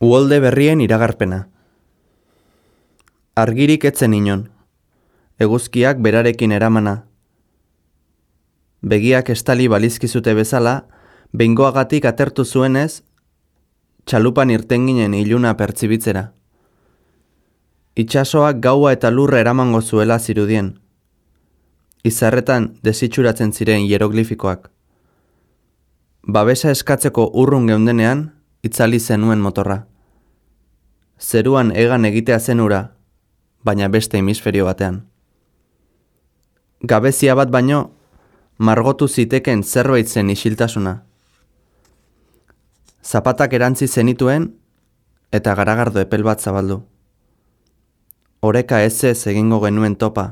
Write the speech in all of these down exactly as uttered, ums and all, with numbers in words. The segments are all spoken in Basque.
Uholde berrien iragarpena. Argirik etzen inon. Eguzkiak berarekin eramana. Begiak estali balizkizute bezala, behingoagatik atertu zuenez, txalupan irten ginen iluna pertsibitzera. Itxasoak gaua eta lurra eramango zuela zirudien. Izarretan desitxuratzen ziren hieroglifikoak. Babesa eskatzeko urrun geundenean, itzali zenuen motorra. Zeruan egan egitea zen ura, baina beste hemisferio batean. Gabezia bat baino, margotu ziteken zerbait zen isiltasuna. Zapatak erantzi zenituen, eta garagardo epel bat zabaldu. Oreka ez ez egingo genuen topa.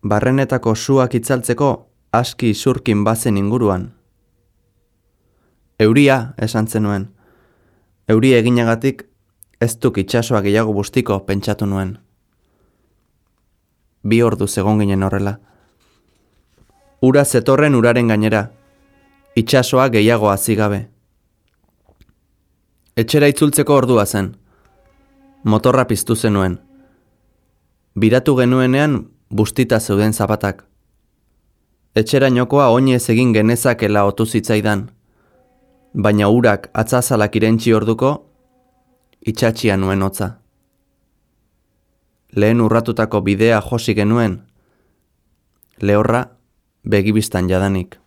Barrenetako suak itzaltzeko aski isurkin bazen inguruan. Euria, esan zenuen. Euria eginagatik ez duk itxasoa gehiago bustiko pentsatu nuen. Bi ordu egon ginen horrela. Ura zetorren uraren gainera, itxasoa gehiago hazi gabe. Etxera itzultzeko ordua zen. Motorra piztu zenuen. Biratu genuenean bustita zeuden zapatak. Etxerainokoa oinez egin genezakela otu zitzaidan, baina urak atzazalak irentsi orduko, itxatxia nuen hotza. Lehen urratutako bidea josi genuen, lehorra begibistan jadanik.